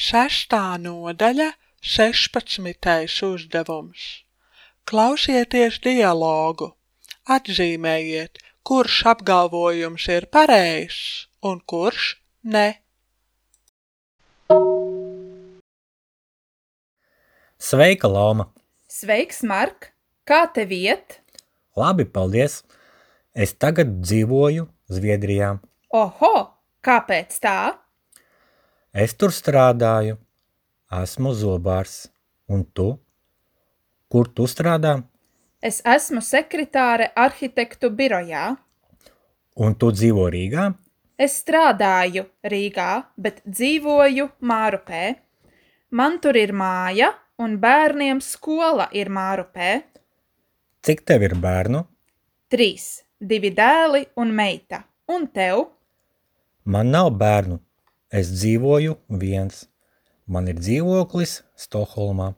Sestā nodaļa, 16. uzdevums. Klausieties dialogu. Atzīmējiet, kurš apgalvojums ir pareizs un kurš ne. Sveika, Loma! Sveiks, Mark! Kā tev iet? Labi, paldies! Es tagad dzīvoju Zviedrijā. Oho! Kāpēc tā? Es tur strādāju. Esmu zobārs. Un tu? Kur tu strādā? Es esmu sekretāre arhitektu birojā. Un tu dzīvo Rīgā? Es strādāju Rīgā, bet dzīvoju Mārupē. Man tur ir māja, un bērniem skola ir Mārupē. Cik tev ir bērnu? 3, 2 dēli un meita. Un tev? Man nav bērnu. Es dzīvoju viens. Man ir dzīvoklis Stokholmā.